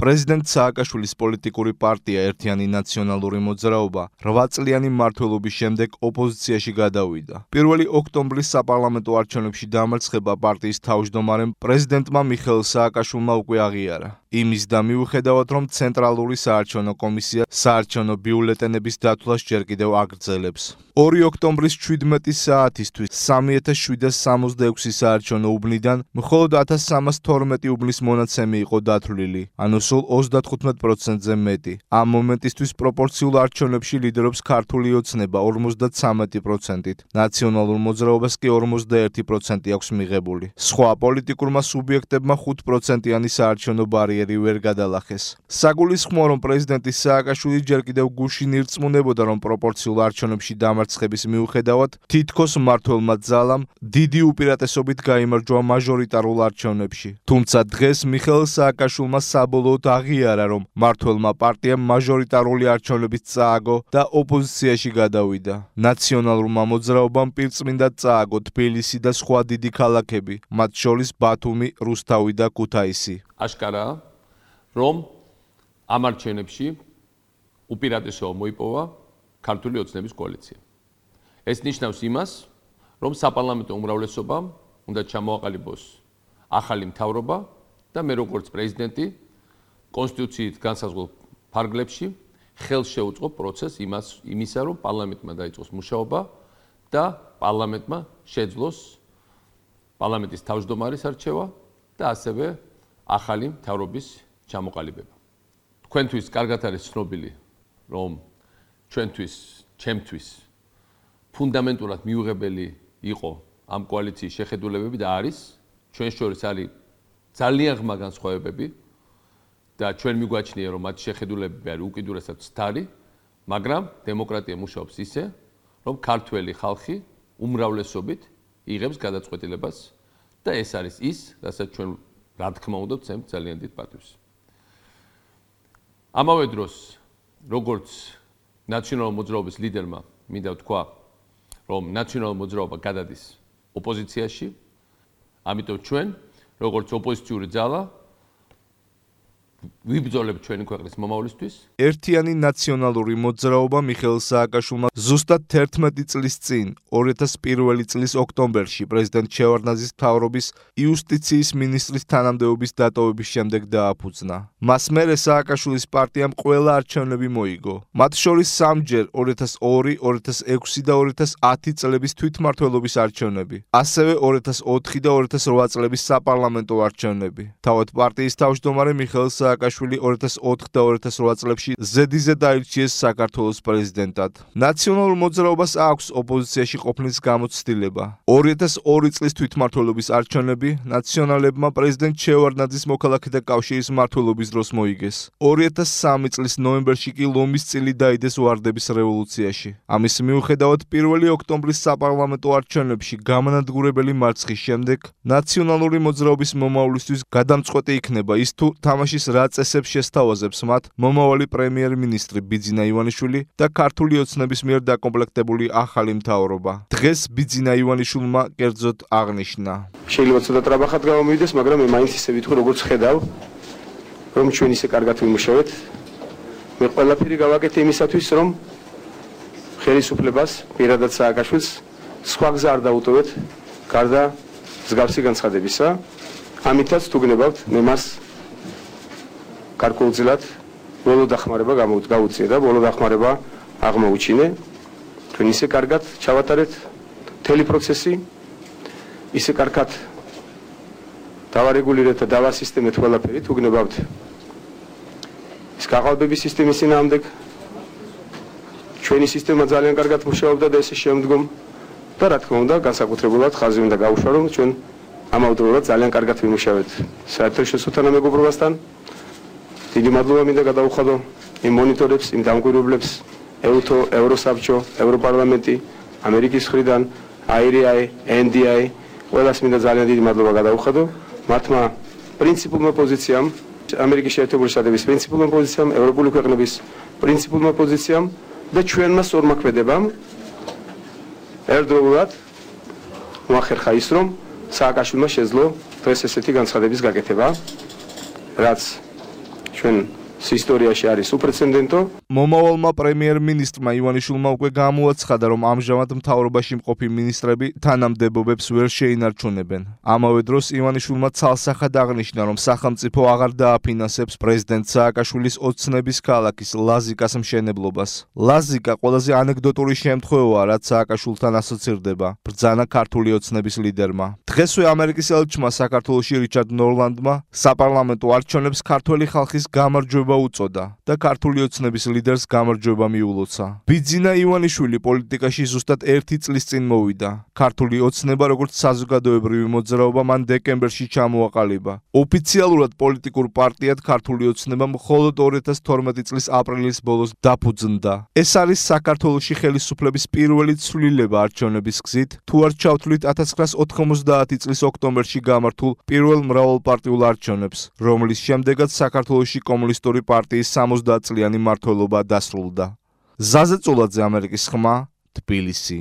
პრეზიდენტ სააკაშვილის პოლიტიკური პარტია ერთიანი ნაციონალური მოძრაობა 8 წლიანი მმართველობის შემდეგ ოპოზიციაში გადავიდა. 1 ოქტომბრის საპარლამენტო არჩევნებში დამარცხება პარტიის თავმჯდომარემ პრეზიდენტმა მიხეილ სააკაშვილმა უკვე აღიარა. იმის და მიუხედავად რომ ცენტრალური საარჩევნო კომისია საარჩევნო ბიულეტენების დათვლას ჯერ კიდევ აგრძელებს. 2 ოქტომბრის 17 საათისთვის 3766 საარჩევნო უბნიდან მხოლოდ 1312 უბნის მონაცემი იყო დათვლილი, ანუ სულ 35%-ზე მეტი. ამ მომენტისთვის პროპორციულ არჩევნებში ლიდერობს ქართული ოცნება 53%-ით, ნაციონალურ მოძრაობას კი 41% აქვს მიღებული. სხვა პოლიტიკურმა სუბიექტებმა 5%-იანი საარჩევნო ბარიერი ვერ გადალახეს. საგულისხმოა, რომ პრეზიდენტი სააკაშვილი ჯერ კიდევ გუშინ ირწმუნებოდა, რომ პროპორციულ არჩევნებში დამარცხების მიუხედავად თითქოს მმართველმა ძალამ დიდი უპირატესობით გაიმარჯვა მაჟორიტარულ არჩევნებში. თუმცა დღეს მიხეილ სააკაშვილმა საბოლოოდ აღიარა, რომ მმართველმა პარტიამ მაჟორიტარული არჩევნებით წააგო და ოპოზიციაში გადავიდა. ნაციონალურმა მოძრაობამ პირწმინდად წააგო თბილისი და სხვა დიდი ქალაქები, მათ შორის ბათუმი, რუსთავი და ქუთაისი. აშკარაა, რომ ამ არჩევნებში უპირატესობა მოიპოვა ქართული ოცნების კოალიცია. ეს ნიშნავს იმას, რომ საპარლამენტო უმრავლესობამ უნდა ჩამოაყალიბოს ახალი მთავრობა და მე როგორც პრეზიდენტი კონსტიტუციით განსაზღვრულ ფარგლებში ხელს შეუწყო პროცესს იმისა, რომ პარლამენტმა დაიწყოს მუშაობა და პარლამენტმა შეძლოს პარლამენტის თავმჯდომარის არჩევა და ასევე ახალი მთავრობის ჩამოყალიბება. თქვენთვის კარგად არის ცნობილი, რომ ჩემთვის ფუნდამენტურად მიუღებელი იყო ამ კოალიციის შეხედულებები და არის ჩვენ შორის არის ძალიან ღრმა განსხვავებები და ჩვენ მიგვაჩნია, რომ მათ შეხედულებები არის უკიდურესად ცდარი, მაგრამ დემოკრატია მუშაობს ისე, რომ ქართველი ხალხი უმრავლესობით იღებს გადაწყვეტილებას და ეს არის ის, რასაც ჩვენ რა თქმა უნდა ვცემთ ძალიან დიდ პატივს. ამავე დროს, როგორც ნაციონალურ მოძრაობის ლიდერმა მინდა ვთქვა, რომ ნაციონალურ მოძრაობა გადადის ოპოზიციაში, ამიტომ ჩვენ, როგორც ოპოზიციური ძალა, ვიბრძოლებთ ჩვენი ქვეყნის მომავლისთვის. ერთიანი ნაციონალური მოძრაობა მიხეილ სააკაშვილმა ზუსტად 11 წლის წინ, 2001 წლის ოქტომბერში პრეზიდენტ შევარდნაძის მთავრობის იუსტიციის მინისტრის თანამდებობის დატოვების შემდეგ დააფუძნა. მას მერე სააკაშვილის პარტიამ ყველა არჩევნები მოიგო. მათ შორის სამჯერ 2002, 2006 და 2010 წლების თვითმმართველობის არჩევნები, ასევე 2004 და 2008 წლების საპარლამენტო არჩევნები. თავად პარტიის თავმჯდომარე მიხეილ სააკაშვილი 2004 და 2008 წლებში ზედიზედ აირჩიეს საქართველოს პრეზიდენტად. ნაციონალურ მოძრაობას აქვს ოპოზიციაში ყოფნის გამოცდილება. 2002 წლის თვითმმართველობის არჩევნები ნაციონალებმა პრეზიდენტ შევარდნაძის მოქალაქეთა კავშირის მმართველობის დროს მოიგეს. 2003 წლის ნოემბერში კი ლომის წილი დაიდეს ვარდების რევოლუციაში. ამის მიუხედავად 1 ოქტომბრის საპარლამენტო არჩევნებში გამანადგურებელი მარცხის შემდეგ ნაციონალური მოძრაობის მომავლისთვის გადამწყვეტი იქნება ის თუ თამაშის რა წესებს შესთავაზებს მათ მომავალი პრემიერ-მინისტრი ბიძინა ივანიშვილი და ქართული ოცნების მიერ დაკომპლექტებული ახალი მთავრობა. დღეს ბიძინა ივანიშვილმა კერძოდ აღნიშნა. შეიძლება ცოტა ტრაბახად გამომივიდეს, მაგრამ მე მაინც ისე ვიტყვი, როგორც ხედავ, რომ ჩვენ ისე კარგად ვიმუშავეთ. მე ყველაფერი გავაკეთე იმისათვის, რომ ხელისუფლებას, პირადად სააკაშვილს, სხვა გზა არ დაუტოვეთ, გარდა მსგავსი განცხადებისა. ამითაც თუ გნებავთ, მე მას გარკვეულწილად ბოლო დახმარება გაუწია და ბოლო დახმარება აღმოუჩინე. თქვენ ისე კარგად ჩავატარეთ მთელი პროცესი, ისე კარგად დავარეგულირეთ და დავასისტემეთ ყველაფერი, თუ გნებავთ ის გაყალბების სისტემის წინააღმდეგ ჩვენი სისტემა ძალიან კარგად მუშაობდა და ესე შემდგომ და რა თქმა უნდა განსაკუთრებულად ხაზი უნდა გაუშვა, რომ ჩვენ ამავდროულად ძალიან კარგად ვიმუშავეთ საერთაშორისო თანამეგობრობასთან. დიდი მადლობა მინდა გადაუხადო იმ მონიტორებს, იმ დამკვირვებლებს, ევროსაბჭო, ევროპარლამენტი, ამერიკის მხრიდან, IRI, NDI, ყველას მინდა ძალიან დიდი მადლობა გადაუხადო. მათმა პრინციპულმა პოზიციამ, ამერიკის შეერთებული შტატების პრინციპულმა პოზიციამ, ევროპული ქვეყნების პრინციპულმა პოზიციამ და ჩვენმა სორმაქმედებამ ერთდროულად მოახერხა ის, რომ სააკაშვილმა შეძლო დღეს ესეთი განცხადების გაკეთება, რაც ჩვენ ისტორიაში არის უპრეცედენტო. მომავალმა პრემიერ-მინისტრმა ივანიშვილმა უკვე გამოაცხადა, რომ ამჟამად მთავრობაში მყოფი მინისტრები თანამდებობებს ვერ შეინარჩუნებენ. ამავე დროს ივანიშვილმა ცალსახად აღნიშნა, რომ სახელმწიფო აღარ დააფინანსებს პრეზიდენტ სააკაშვილის ოცნების ქალაქის ლაზიკას მშენებლობას. ლაზიკა ყველაზე ანეკდოტური შემთხვევაა, რაც სააკაშვილთან ასოცირდება, ბრძანა ქართული ოცნების ლიდერმა. დღესვე ამერიკის ელჩმა საქართველოში რიჩარდ ნორლანდმა საპარლამენტო არჩევნებს ქართველი ხალხის გამარჯვება უწოდა და ქართული ოცნების ლიდერს გამარჯვება მიულოცა. ბიძინა ივანიშვილი პოლიტიკაში ზუსტად 1 წლის წინ მოვიდა. ქართული ოცნება როგორც საზოგადოებრივი მოძრაობა მან დეკემბერში ჩამოაყალიბა. ოფიციალურად პოლიტიკურ პარტიად ქართული ოცნება მხოლოდ 2012 წლის აპრილის ბოლოს დაფუძნდა. ეს არის საქართველოში ხელისუფლების პირველი ცვლილება არჩევნების გზით, თუ არ ჩავთვლით 1990 წლის ოქტომბერში გამართულ პირველ მრავალპარტიულ არჩევნებს, რომლის შემდეგაც საქართველოში კომუნისტური პარტიის 70 წლიანი მმართველობა დასრულდა. ზაზე წულაძე, ამერიკის ხმა, თბილისი.